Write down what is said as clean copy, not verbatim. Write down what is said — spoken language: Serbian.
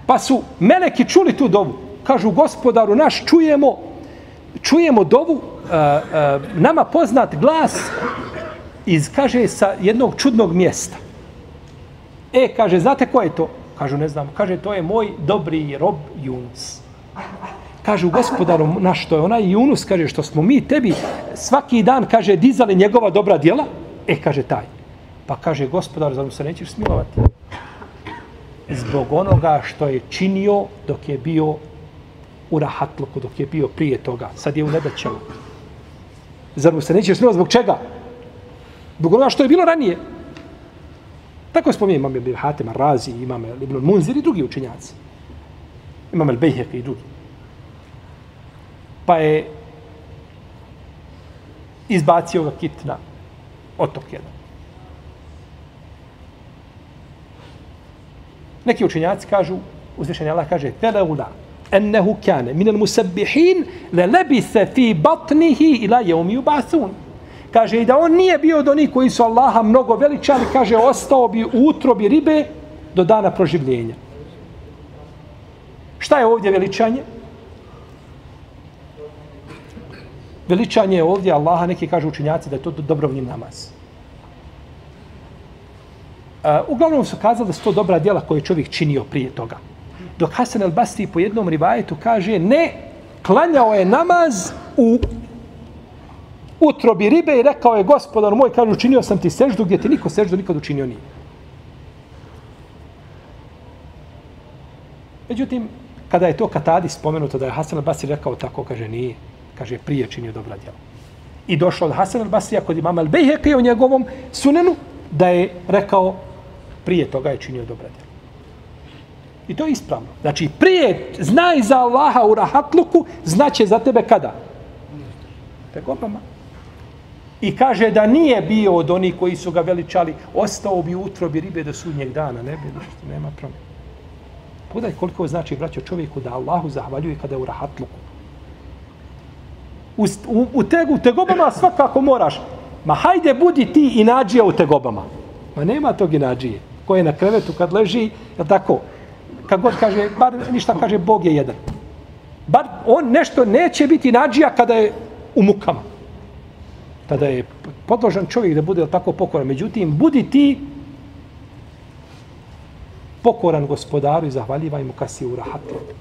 Pa su meleki čuli tu dovu. Kažu, gospodaru naš, čujemo dovu, nama poznat glas kaže, sa jednog čudnog mjesta. Kaže, znate ko je to? Kažu, ne znam. Kaže, to je moj dobri rob Yunus. Kažu, gospodaru naš, to je onaj Yunus, kaže, što smo mi tebi svaki dan, kaže, dizali njegova dobra djela. Kaže, taj. Pa kaže, gospodar, zar mu se nećeš smilovati? Zbog onoga što je činio dok je bio u rahatluku, dok je bio prije toga. Sad je u nedaćama. Zar mu se nećeš smilovati? Zbog čega? Zbog onoga što je bilo ranije. Tako spominje imam Ibn Hatim Razi, imam Ibn Munzir i drugi učenjaci. Imam El-Bejheqi i drugi. Pa je izbacio ga kit na otok jedan. Neki učenjaci kažu, uzvišeni Allah kaže, فَلَوْلَا أَنَّهُ كَانَ مِنَ الْمُسَبِّحِينَ لَلَبِثَ فِي بَطْنِهِ إِلَا يَوْمِ يُبْعَثُونَ. Kaže, i da on nije bio od onih koji su Allaha mnogo veličali, kaže, ostao bi u utrobi ribe do dana proživljenja. Šta je ovdje veličanje? Veličanje je ovdje Allaha, neki kažu učenjaci da je to dobrovoljni namaz. Uglavnom su kazali da su to dobra djela koje je čovjek činio prije toga. Dok Hasan el-Basri po jednom rivajetu kaže, ne, klanjao je namaz u utrobi ribe i rekao je, gospodar moj, kaže, učinio sam ti seždu gdje ti niko seždu nikad učinio nije. Međutim, kada je to Katadi spomenuto da je Hasan el-Basri rekao tako, kaže, nije. Kaže, prije činio dobra djela. I došlo od Hasan el-Basrija kod imama el-Bejheqi u njegovom sunenu da je rekao, prije toga je činio dobra djela. I to je ispravno. Znači, prije znaj za Allaha u rahatluku, znaće za tebe kada? Tegobama. I kaže da nije bio od onih koji su ga veličali, ostao bi u utrobi ribe do sudnjeg dana. Ne bi ništa, nema promjena. Pogledaj koliko znači, braćo, čovjeku da Allahu zahvaljuje kada je u rahatluku. U tegobama svakako moraš. Ma hajde, budi ti inadžija u tegobama. Ma nema tog inadžije. Ko je na krevetu kad leži, je tako? Kad god kaže, bar ništa kaže, Bog je jedan. Bar on nešto neće biti inadžija kada je u mukama. Tada je podložan čovjek da bude tako pokoran. Međutim, budi ti pokoran gospodaru i zahvaljivaj mu kad si u rahatluku.